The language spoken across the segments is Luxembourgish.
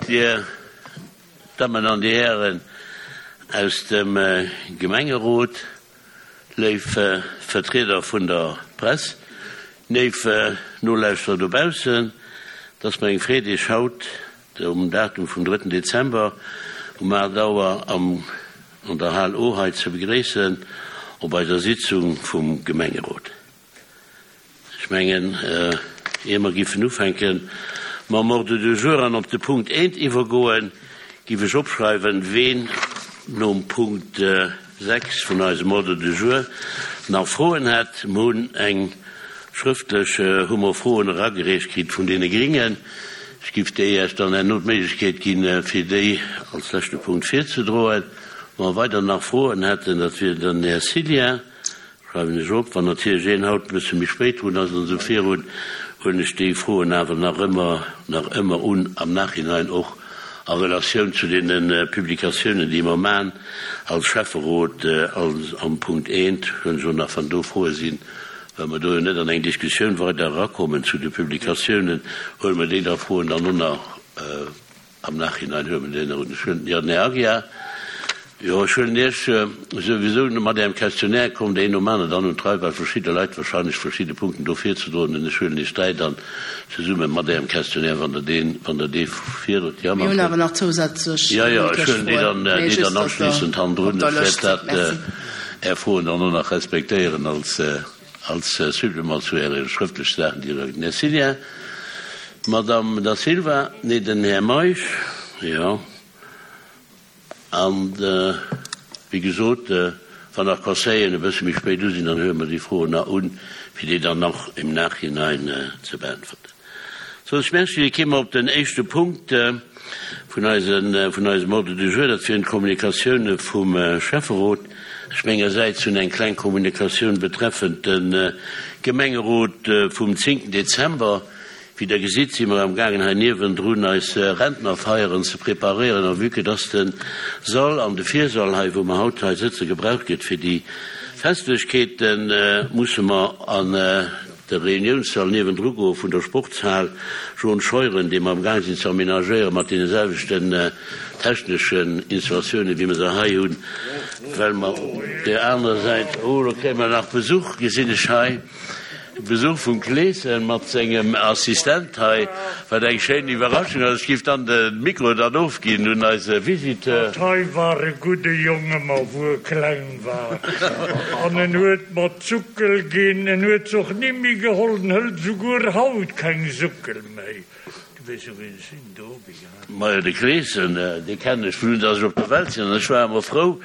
Dir Dammen an Dir Hären aus dem Gemengerot, léif Vertrieder vun der Press, léif Nolauschterer dobaussen, et ass mer eng Freed, Iech haut um Datum vum drëtten Dezember um 8 Auer am an der Hal O hei ze begréissen op eiser Sitzung vum Gemengerot. Ech mengen, ier mer giffen ufänke mam Ordre du jour an op de Punkt eent iwwergoen, giff ech opschreiwen, ween nom Punkt 6 vun eisem Ordre du jour nach Froen hätt. Mer hunn eng schrëftlech, hu mer Froen eragereecht kritt vun deene Gringen. Ech giff déi Iech dann herno d'Méiglechkeet ginn, fir déi als leschte Punkt virzedroen. Wa mer weider nach Froen hätten, dat wier den Här Cillien. Schreiwen ech op. Wann natierlech een haut e bësse méi spéit drun ass an esou virun, huelen ech déi Froen awer nach ëmmer, nach ëmmer un, am Nachhinein och a Relatioun zu deene Publikatiounen, déi mer man als Schäfferot. Als am Punkt eent huelen ech och nach, wann do Froe sinn, well mer do jo net an eng Diskussioun weider erakommen zu de Publikatiounen, huele mer déi da Froen dann och nach Am Nachhinein huet mer deen erun. Ech hunn, jo, den Här Aguiar, jo, ech huelen Iech souwisou mat Ärem Questionnaire, kommt een nom aneren dann un d'Rei, well verschidde Leit wahrscheinlech verschidde Punkten do virzedroen hunn. Ech huelen Iech dräi dann zesumme mat Ärem Questionnaire, wann Der deen, wann Der dee virdrot. Jo, Mir hunn awer nach zousätzlech Jo, jo, ech mëndlech huelen déi Froen, dann, mee déi just, dann datt Der anschliessend op hannendrun. der Ech wäert Lëscht sidd. dat, Merci. Är Froen dann och nach respektéieren als. Als Supplément zu Äre schrëftleche Saachen, déi Der den Här Cillien, d'Madame Da Silva, nee, den Här Meisch, jo, an, wéi gesot, wann nach Conseilleren e bësse méi spéit u sinn, dann huele mer déi Froen nach un, fir déi dann nach im Nachhinein ze beäntwerten. Soss merci. Kéime mer op den éischte Punkt vun eise, vun eisem Ordre du jour, dat wieren d'Kommunikatioune vum Schäfferot. Ech mengersäits hunn eng kleng Kommunikatioun betreffend de Gemengerot vum zéngten Dezember. Wéi Der gesitt, si mer amgaangen hei niewendrun eis Rentnerfeieren ze preparéieren. A vue que dass de Sall an de Virsall hei, wou mer haut hei sëtzen, gebraucht gëtt fir déi Festlechkeeten, musse mer an De Reuniounssall niewendru goe vun der Sportshal John Scheuren, dee mer am Gaang sinn ze aménagéieren mat deene selwechten techneschen Installatiounen, wéi mer se hei hunn, well mer op där anerer Säit, oh, do kréie mer nach Besuch, gesinn ech hei, Besuch vum Kleeschen mat sengem Assistent hei, wat eng schéin Iwwerraschung ass. Ech géif dann de Mikro dann ofginn un eise Visiteur. Dat hei war e gudde Jong ëmmer, wou e kleng war, an en huet mer d'Suckel ginn. En huet s'och ni méi geholl, en hëlt esouguer haut keng Suckel méi. Du weess jo, wien ech sinn, de Roby, hein? Majo, de Kleeschen, dee kennen ech vun un, dass ech op der Welt sinn. An ech war ëmmer frou,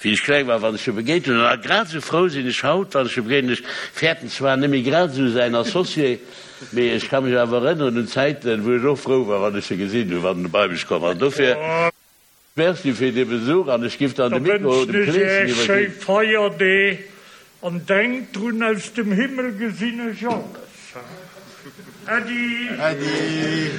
wéi ech kleng war, wann ech e begéint hunn. An grad esou frou sinn ech haut, wann ech e begéinen. Ech fäerten zwar net méi grad esou säin Associé, Mee ech ka mech awer erënneren un Zäiten, wou ech och frou war, wann ech se gesinn hunn, wann en bei mech komm ass. Dofir Merci fir dee Besuch an ech giff dann Da de Mikro wënschen dem ech Kleeschen Äech schéi iwwerginn. Feierdeeg an denkt drun, aus dem Himmel gesinn ech alles. Äddi! Äddi!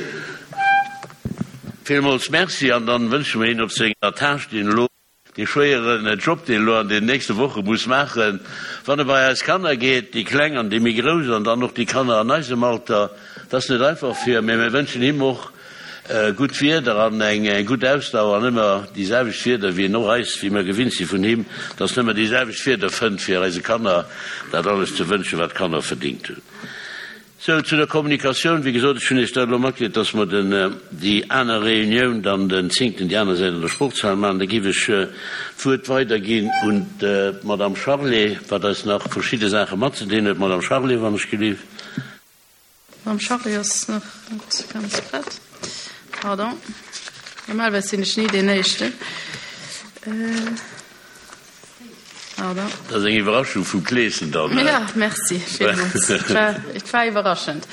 Villmools Merci an dann wënsche mer hien op senger Tâche, déi en elo Dee schwéieren Job, deen elo an den nächste Woche muss maachen, wann e bei eis Kanner geet, déi Kleng an déi méi Grouss an dann och déi Kanner an eisem Alter, dat ass net einfach fir, mee mir wënschen him och gutt Wieder an eng gutt Ausdauer an ëmmer déi selwecht Wieder, wéi en och eis, wéi mir gewinnt si vun him, dass en ëmmer déi selwecht Wieder fënnt, fir eise Kanner dat alles ze wënschen, wat d'Kanner verdingt hunn. Sou, zu der Kommunikatioun, Wéi gesot, ech hunn Iech dat elo matgedeelt, dass mer den, déi aner Reunioun dann den zéngten déi aner Säit an der Sportshal maachen. Da géif ech d'Wuert weiderginn un d'Madame Charlé, wat eis nach verschidde Saache matzedeelen huet. Madame Charlé, wann ech gelift. D'Madame Charlé ass nach net ganz prett. Pardon. Normalerweis sinn ech ni deen Éischten. Pardon. Dat ass eng Iwwerraschung vum Kleeschen dann. Ja, merci villmools. Et war, et war iwwerraschend.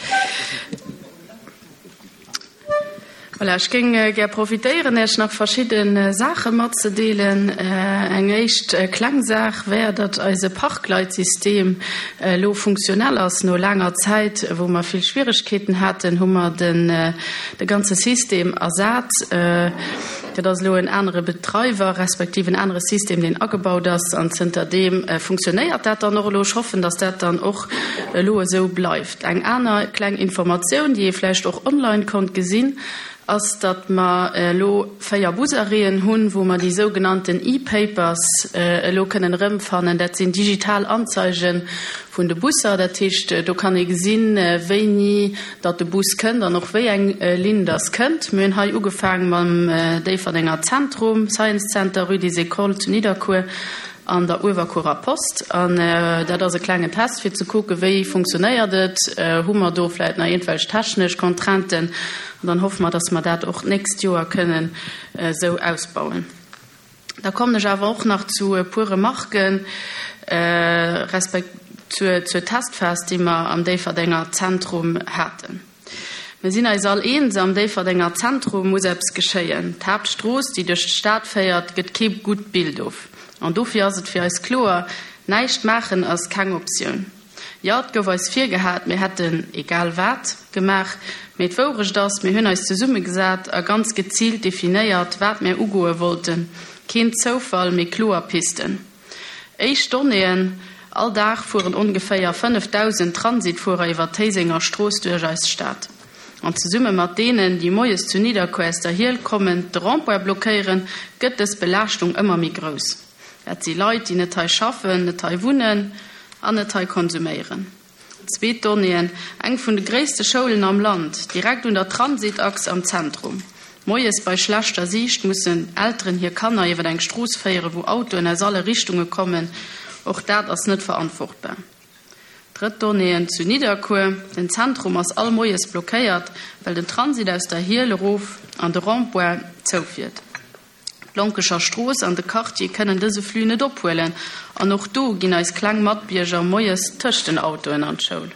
Voilà, ech géing gär profitéieren, Iech nach verschidde Saache matzedeelen. Eng éischt kleng Saach wär, datt eise Parkleitsystem elo funktionell ass. No laanger Zäit, wou mer vill Schwieregkeeten haten, hu mer den, de ganze System ersat. Dat ass elo en anere Betreiwer respektiv en anere System, deen agebaut ass. An zënter deem funktionéiert dat dann och elo. Ech hoffen, datt dat dann och elo esou bleift. Eng aner kleng Informatioun, déi ee vläicht och online konnt gesinn. ass, datt mer elo 4 Busarrêten hunn, wou mer déi sougenannten E-Papers elo kënnen erëmfannen. Dat sinn digital Anzeige vun de Busser. Dat heescht, do kann ee gesinn, wéini datt de Bus kënnt an och wéi eng Linn datt kënnt. Mir hunn hei ugefaang mam Déifferdenger Zentrum, Science Center, Rue des Écoles zu Nidderkuer an der Uewerkuerer Post. An dat ass e klengen Test, fir ze kucken, wéi funktionéiert et, hu mer do vläicht nach iergendwelch technesch Contrainten. An dann hoffe mer, datt mer dat och d'nächst Joer kënnen esou ausbauen. Da kommen ech awer och nach zu e puer Remarken respek zur zur Testphas, déi mer am Déifferdenger Zentrum haten. Mir sinn eis all eens, am Déifferdenger Zentrum muss eppes geschéien. D'Haaptstrooss, déi duerch d'Stad féiert, gëtt kee gutt Bild of. An dofir ass et fir eis kloer, Näischt maachen ass keng Optioun. Jo, et gouf eis virgehat, mir hätten egal wat gemaach. Mee d'Wourecht ass, mir hunn eis zesummegesat a ganz geziilt definéiert, wat mir ugoe wollten. Keen Zoufall, mee kloer Pisten. Éischt Donnéeën, All Dag fueren ongeféier 5.000 Transitfuerer iwwer d'Héisenger Strooss duerch eis Stad. An zesumme mat deenen, déi moies zu Nidderkuer aus der Hiel kommen, de Rond-point blockéieren, gëtt dës Belaaschtung ëmmer méi grouss. Dat si Leit, déi net hei schaffen, net hei wunnen an net hei konsuméieren. Zweet Donnéeën, Eng vun de gréisste Schoulen am Land, direkt un der Transitachs am Zentrum. Moies bei schlechter Siicht mussen Elteren hir Kanner iwwer eng Strooss féieren, wou Autoen aus alle Richtunge kommen. Och dat ass net verantwortbar. Drëtt Donnéeën, Zu Nidderkuer, den Zentrum ass all Moies blockéiert, well den Transit aus der Hiel erof an de Rond-point zoufiert. D'Lonkecher Strooss an de Quartier kënnen dëse Flux net ophuelen an och do ginn eis kleng Matbierger moies tëscht den Autoen an d'Schoul.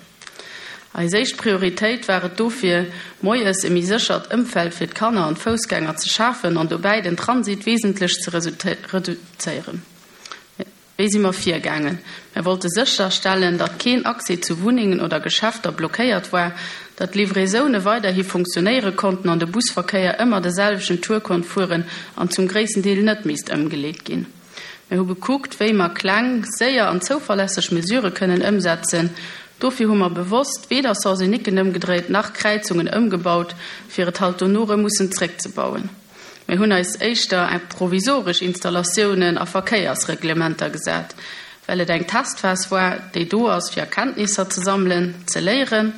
Eis éischt Prioritéit war et dofir, moies e méi séchert Ëmfeld fir d'Kanner an d'Foussgänger ze schafen an dobäi den Transit wesentlech ze reduzéieren. Wéi si mer virgaangen? Mer wollte sécherstellen, datt keen Accès zu Wunnengen oder Geschäfter blockéiert war, datt d'Livraisoune weiderhi funktionéiere konnten an de Busverkéier ëmmer de selwechten Tour konnt fueren an zum gréissten Deel net misst ëmgeleet ginn. Mer hu gekuckt, wéi mer kleng, séier an zouverlässeg Mesurë kënnen ëmsetzen. Dofir hu mer bewosst weder Sens-uniquen ëmgedréit nach Kräizungen ëmgebaut, fir et halt dono rëm mussen zréckzebauen. Mir hunn eis éischter provisoresch Installatiounen a Verkéiersreglementer gesat, well et eng Testphas war, déi do ass, fir Erkenntnisser ze sammelen, ze léieren.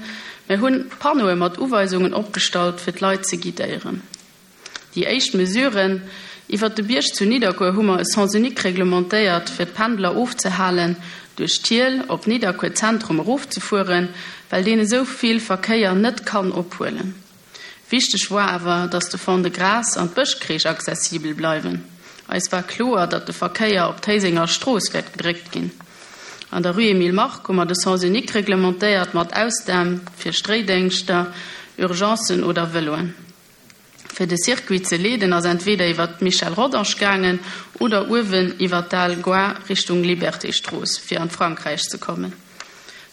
Mir hunn Panneaue mat Uweisungen opgestallt, fir d'Leit ze guidéieren. Déi éischt Mesuren, Iwwert de Bierg zu Nidderkuer hu mer e Sens unique reglementéiert, fir d'Pendler ofzehalen, duerch d'Hiel op Nidderkuer Zentrum erofzefueren, well deen esou vill Verkéier net kann ophuelen. Wichteg woar awer, datt de Fond-de-Gras an d'Bëschkreech accessibel bleiwen. Eis war kloer, datt de Verkéier op d'Héisenger Strooss wäert gedréckt ginn. An der Rue Emile Mark hu mer de Sens unique reglementéiert, mat Ausnam fir Stréidéngschter, Urgencen oder Vëloen. Fir de Circuit ze leeden ass entweder iwwer d'Michel Rodange gaangen oder uewen iwwer d'Al Goar Richtung Liberté-Strooss, fir an d'Frankräich ze kommen.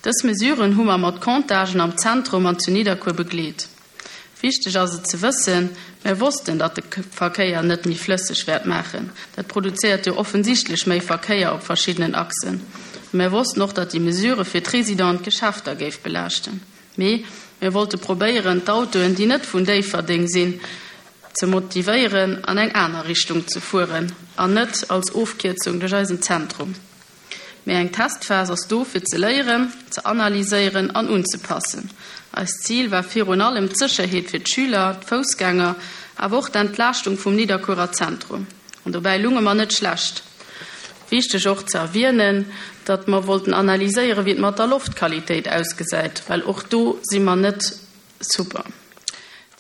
Dës Mesuren hu mer mat Comptagen am Zentrum an zu Nidderkuer begleet. Wichteg ass et ze wëssen, Mer wossten, datt de Verkéier net méi flësseg wäert maachen. Dat produzéiert jo offensichtlech méi Verkéier op verschiddenen Achsen. A mer wossten och, datt déi Mesure fir d'Residenten d'Geschäfter géif belaaschten. Mee mir wollte probéieren, d'Autoen, déi net vun Déifferdeng sinn, ze motivéieren, an eng aner Richtung ze fueren an net als Ofkierzung duerch eisen Zentrum. Mee eng Testphas ass do fir ze léieren, ze analyséieren an unzepassen. Eist Zil war virun allem d'Sécherheet fir d'Schüler, d'Foussgänger, awer och d'Entlaaschtung vum Nidderkuerer Zentrum. An dobäi lunge mer net schlecht. Wichteg och ze erwienen, datt mer wollten analyséieren, wéi et mat der Loftqualitéit ausgesäit, well och do si mer net Super.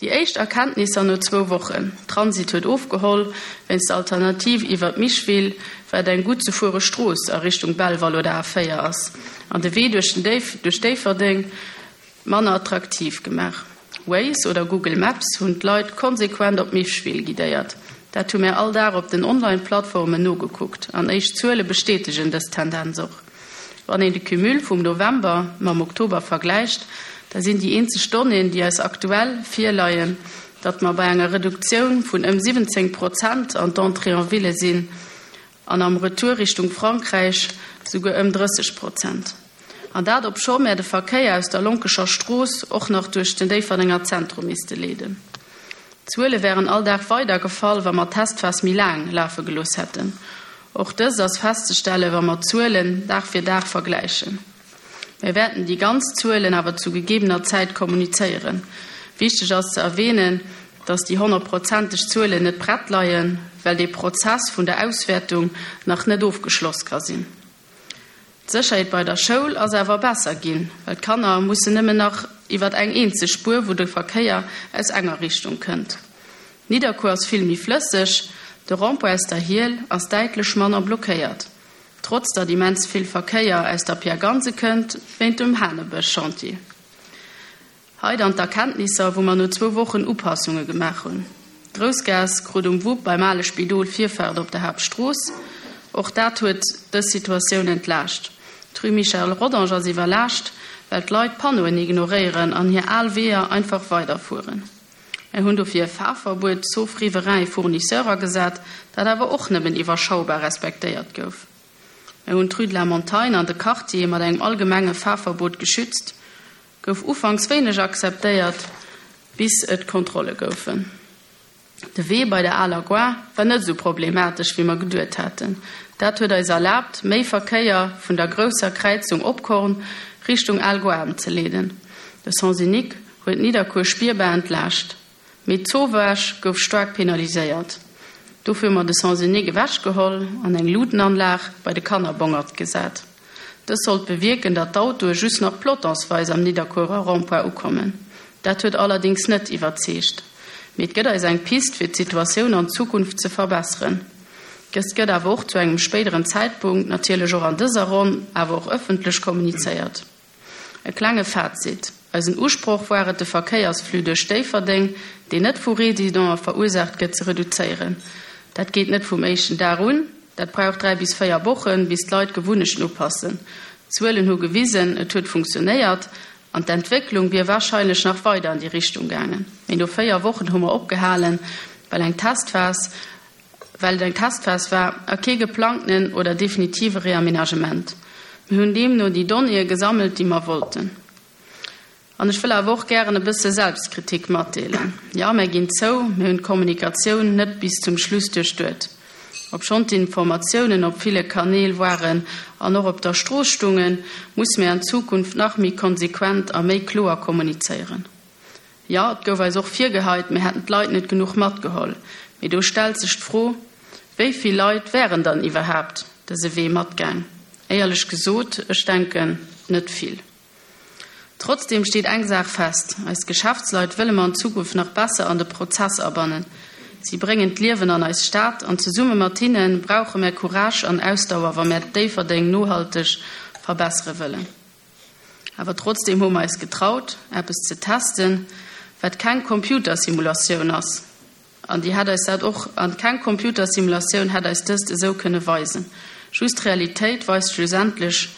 Déi éischt Erkenntnisser no zwou Wochen, Transit huet ofgeholl, wéinst der Alternativ iwwer d'Micheville, wat eng gutt ze fuere Strooss a Richtung Belval oder A4 ass, an de Wee duerch den duerch Déifferdeng manner attraktiv gemaach. Waze oder Google Maps hunn d'Leit konsequent op Micheville guidéiert. Dat hu mär all Dag op den Online-Plattformen nogekuckt an éischt Zuele bestätegen dës Tendenz och. Wann een de Cumul vum November mam Oktober vergläicht, da sinn déi eenzeg Donnéeën, déi eis aktuell virleien, datt mer bei enger Reduktioun vun ëm 17 Prozent an d'Entrée en ville sinn an am Retour Richtung Frankräich souguer ëm 30 Prozent. An dat obscho mär de Verkéier aus der Lonkecher Strooss och nach duerch den Déifferdenger Zentrum misste leeden. D'Zuele wären all Dag weider gefall, wa mer d'Testphas méi laang lafe gelooss hätten. Och dëst ass festzestellen, wa mer d'Zuelen Dag fir Dag vergläichen. Mir wäerten déi ganz Zuelen awer zu gegebener Zäit kommunizéieren. Wichteg ass ze erwähnen, dass déi honnertprozenteg Zuelen net prett leien, well dee Prozess vun der Auswäertung nach net ofgeschloss ka sinn. D'Sécherheet bei der Schoul ass awer besser ginn, well d'Kanner mussen nëmmen nach iwwer eng eenzeg Spuer, wou de Verkéier aus enger Richtung kënnt. Nidderkuer ass vill méi flësseg, de Rond-point aus der Hiel ass däitlech manner blockéiert, trotz datt immens vill Verkéier aus der Pierre Gansen kënnt, wéint dem Hanebësch-Chantier. Hei dann d'Erkenntnisser, wou mer no zwou Wochen Upassunge gemaach hunn. D'Groussgaass krut um Wupp beim ale Spidol Virfaart op der Haaptstrooss. Och dat huet dës Situatioun entlaascht. D'Rue Michel Rodange ass iwwerlaascht, well d'Leit d'Panneauen ignoréieren an hir al Weeër einfach weiderfueren. Mär hunn dofir e Fahrverbuet, sauf riverains et fournisseurs, agesat, dat awer och nëmmen iwwerschaubar respektéiert gouf. Mär hunn d'Rue de la Montagne an de Quartier mat engem allgemenge Fahrverbot geschützt. Gouf ufanks wéineg akzeptéiert, bis et Kontrolle goufen. De Wee bei der aler Gare war net esou problematesch, wéi mer geduet haten. Dat huet eis erlaabt, méi Verkéier vun der grousser Kräizung Opkorn Richtung al Gare emzeleeden. De Sens unique huet Nidderkuer spierbar entlaascht. Mee d'Zowaasch gouf staark penaliséiert. Dofir hu mer de Sens unique ewechgeholl an eng Luutenanlag bei de Kannerbongert gesat. Dës sollt bewierken, datt d'Autoe just nach pelotonsweis am Nidderkuerer Rond-point ukommen. Dat huet allerdéngs net iwwerzeegt. Mee et gëtt eis eng Pist, fir d'Situatioun an Zukunft ze verbesseren. Dëst gëtt awer och zu engem spéideren Zäitpunkt, natierlech och an dëser Ronn, awer och ëffentlech kommunizéiert. E klenge Fazit, Eisen Usproch war et, de Verkéiersflux duerch Déifferdeng, deen net vu Residenten verursaacht gëtt, ze reduzéieren. Dat geet net vum éischten Dag un, dat brauch 3 bis 4 Wochen, bis d'Leit d'Gewunnechten upassen. D'Zuelen hu gewisen, et huet funktionéiert an d'Entwécklung wier warscheinlech nach weider an déi Richtung gaangen. Mee no 4 Wochen hu mer opgehalen, well eng Testphas well et eng Testphas war a kee geplangtenen oder definitive Reaménagement. Mir hunn deemno déi Donnéeë gesammelt, déi mer wollten. An ech wëll awer och gären e bësse Selbstkritik matdeelen. Jo, mär ginn zou, mir hunn d'Kommunikatioun net bis zum Schluss duerchduet. Obschonn d'Informatiounen op ville Kanäl waren an och op der Strooss stungen, musse mär an Zukunft nach méi konsequent a méi kloer kommunizéieren. Jo, et gouf eis och virgeheit, mir hätten d'Leit net genuch matgeholl. Mee do stellt sech d'Fro, Wéi vill Leit wären dann iwwerhaapt dëse Wee matgaang? Éierlech gesot, ech denken, net vill. Trotzdeem steet eng Saach fest, Eis Geschäftsleit wëlle mer an Zukunft nach besser an de Prozess abannen. Si bréngen d'Liewen an eis Stad an zesumme mat hinne brauche mär Courage an Ausdauer, wa mär Déifferdeng nohalteg verbessere wëllen. Awer trotzdeem hu mer eis getraut, eppes ze testen, wat keng Computersimulatioun ass. An déi hätt eis dat och, an keng Computersimulatioun hätt eis dëst esou kënne weisen. Just d'Realitéit weist schlussendlech,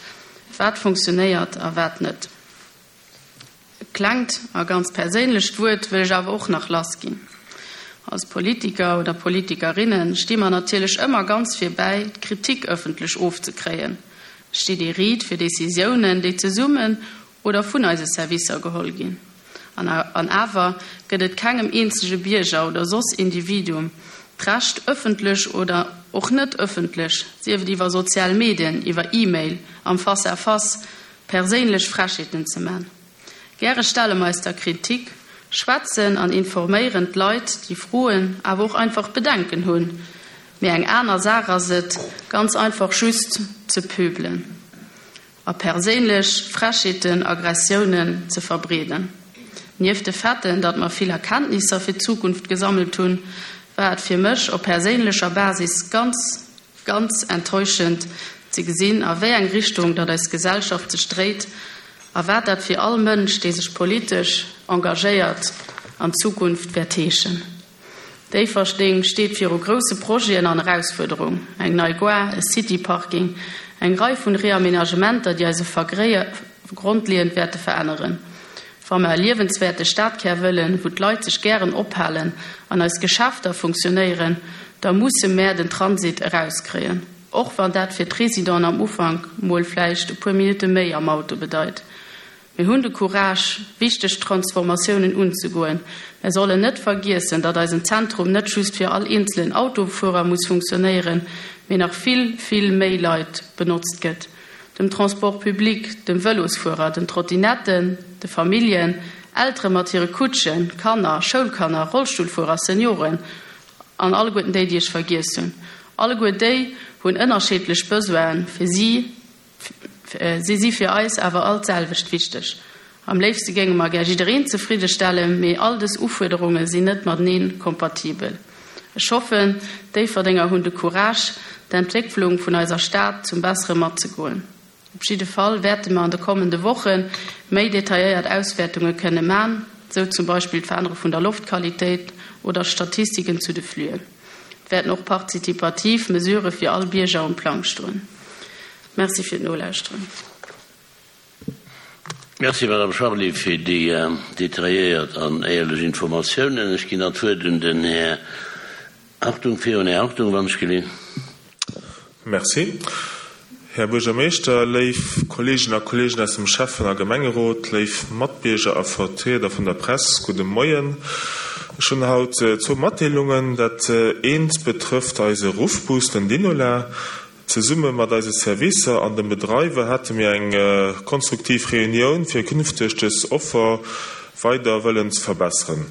wat funktionéiert a wat net. E klengt a ganz perséinlecht Wuert wëll ech awer och nach lassginn. Als Politiker oder Politikerinne sti mer natierlech ëmmer ganz vir bäi, d'Kritik ëffentlech ofzekréien. Steet ee riit fir Decisiounen, déi zesummen oder vun eise Servicer geholl ginn. An an awer gëtt et kengem eenzege Bierger oder soss Individuum d'Recht, ëffentlech oder och net ëffentlech, sief et iwwer sozial Medien, iwwer E-Mail, am Face à face, perséinlech Frechheeten ze man. Gäre stelle mer eis der Kritik, schwätzen an informéieren d'Leit, déi Froen, awer och einfach Bedenken hunn. Mee eng aner Saach ass et, ganz einfach just ze pöbelen a perséinlech Frechheeten, Aggressiounen ze verbreeden. Nieft de Faiten, datt mer vill Erkenntnisser fir d'Zukunft gesammelt hunn, war et fir mech op perséinlecher Basis ganz, Ganz enttäuschend ze gesinn, a wéi eng Richtung datt eis Gesellschaft sech dréit a wat dat fir all Mënsch, dee sech politesch engagéiert, an Zukunft wäert heeschen. Déifferdeng steet viru grousse Projeten an Erausfuerderung, eng nei Gare, e City-Parking, eng Rei vun Reaménagementer, déi eise Vergréier grondleeënd wäerte veränneren. Wa mer e liewenswäerte Stadkär wëllen, wou d'Leit sech gären ophalen an eis Geschäfter funktionéieren, da musse mär den Transit erauskréien, och wann dat fir d'Residenten am Ufank mol vläicht e puer Minutte méi am Auto bedeit. Mir hunn de Courage, wichteg Transformatiounen unzegoen. Mär sollen net vergiessen, datt eisen Zentrum net just fir all eenzelen Autofuerer muss funktionéieren, mee nach vill, vill méi Leit benotzt gëtt, dem Transport public, dem Vëlosfuerer, den Trottinetten, de Familljen, Eltere mat hire Kutschen, Kanner, Schoulkanner, Rollstullfuerer, Senioren an alleguerten déi, déi ech vergiess hunn. Alleguer déi hunn ënnerscheedlech Besoinen. Fir si Si si fir eis awer all d'selwecht wichteg. Am léifste géinge mer gär jiddereen zefridde stellen, mee all dës Ufuerderunge sinn net matenee kompatibel. Ech hoffen, d'Déifferdenger hunn de Courage, d'Entwécklung vun eiser Stad zum Bessere matzegoen. Op jidde Fall wäerte mer an de kommende Woche méi detailléiert Auswäertunge kënne man, sou zum Beispill d'Verännere vun der Loftqualitéit oder Statistiken zu de Fluen. Et wäerten och partizipativ Mesurë fir all Bierger um Plang stoen. Merci fir d'Nolauschteren. Merci, Madame Charly, fir déi detailléiert an éierlech Informatiounen. Ech ginn dann d'Wuert un den Här Hartung. Virun Här Hartung, wann ech gelinn. Merci, Här Buergermeeschter, léif Kolleegen a Kolleegen aus dem Schäffen a Gemengerot, léif Matbierger a Vertrieder vun der Press, gudde Moien. Ech hunn haut zwou Matdeelungen. Dat eent betrëfft eise Ruffbus, den Dinola. Zesumme mat eise Servicer an dem Bedreiwer hate mir eng konstruktiv Reunioun, fir künfteg dës Offer weider wëllen ze verbesseren.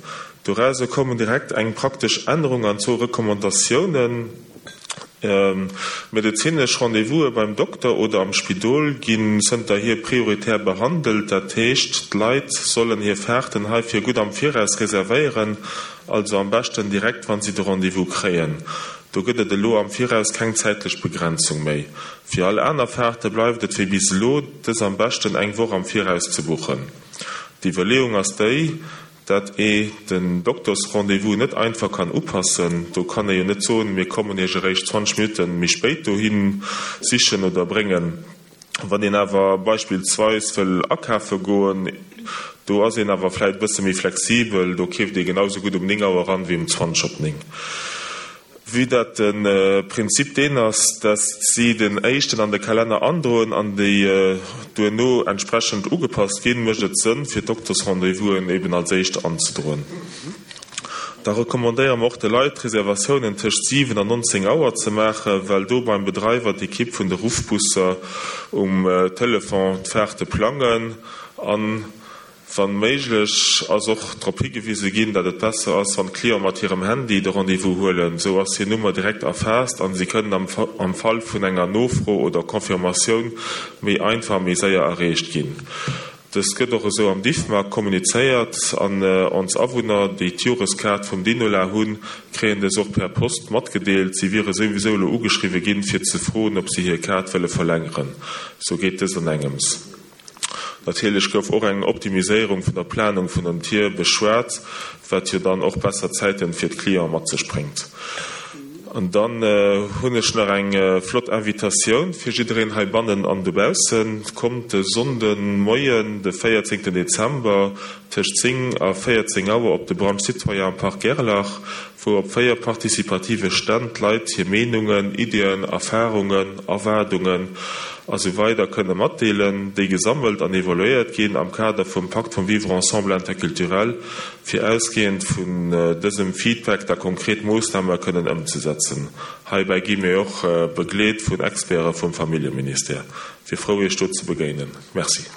Dorauser koumen direkt eng praktesch Ännerung an zwou Recommandatiounen. Medezinesch Rendez-vouse beim Dokter oder am Spidol ginn zënterhier prioritär behandelt. Dat heescht, d'Leit sollen hir Faarten heifir gutt am Viraus reservéieren, also am beschten direkt wann si de Rendez-vous kréien. Do gëtt et elo am Viraus keng zäitlech Begrenzung méi. Fir all aner Faarte bleift et wéi bis elo, dës am beschten eng Woch am Viraus ze buchen. D'Iwwerleeung ass déi, dat ee den Doktersrendez-vous net einfach kann upassen. Do kann ee jo net soen, mir kommen Iech eréischt 20 Minutte méi spéit dohi sichen oder bréngen. Wann een awer beispillsweis wëll akafe goen, do ass een awer vläit e bësse méi flexibel, do keeft ee genau sou gutt um 9 Auer an wéi um 20 op 9. Vue dat de Prinzip deen ass, dass si den éischten an de Kalenner androen an déi duerno entsprechend ugepasst ginn, mécht et Sënn, fir d'Doktersrendez-vousen eben als éischt anzedroen. Da recommandéiere mer och de Leit, d'Reservatiounen tëscht 7 an 19 Auer ze maachen, well do beim Bedreiwer d'Ekipp vun de Ruffbusser um Telefon d'Faarte plangen. An, wann méiglech, ass och drop higewise ginn, datt et besser ass, wann d'Cliente mat hirem Handy de Rendez-vous huelen. Esou ass hir Nummer direkt erfaasst an si kënnen am Fall vun enger Nofro oder Confirmatioun méi einfach a méi séier erreecht ginn. Dëst gëtt och esou am Diffmag kommunizéiert an ons Awunner, déi d'Joreskaart vum Dinola hunn, kréien dës och per Post matgedeelt. Si wiere souwisou elo ugeschriwwe ginn, fir ze froen, ob si hir Kaart wëlle verlängeren. Sou geet dëst an engems. Natierlech gouf och eng Optimiséierung vun der Planung vun den Tier beschwat, wat jo dann och besser Zäiten fir d'Clienten mat sech bréngt. An dann hunn ech nach eng flott Invitatioun fir jiddereen heibannen an dobaussen. Kommt de Sonnden Moien, de 14 Dezember, tëscht 10 a 14 Auer op de Brunch Citoyen am Parc Gerlach, wou op 4 partizipative Stänn d'Leit hir Meenungen, Iddien, Erfarungen, Erwaardungen a sou weider kënne matdeelen, déi gesammelt an evaluéiert ginn am Kader vum Pakt vum Vivre ensemble interculturel. fir ausgehend vun dësem Feedback da konkret Moossname kënnen ëmzesetzen. Heibäi gi mir och begleet vun Experte vum Familljeministère. Wier frou Iech do ze begéinen. Merci.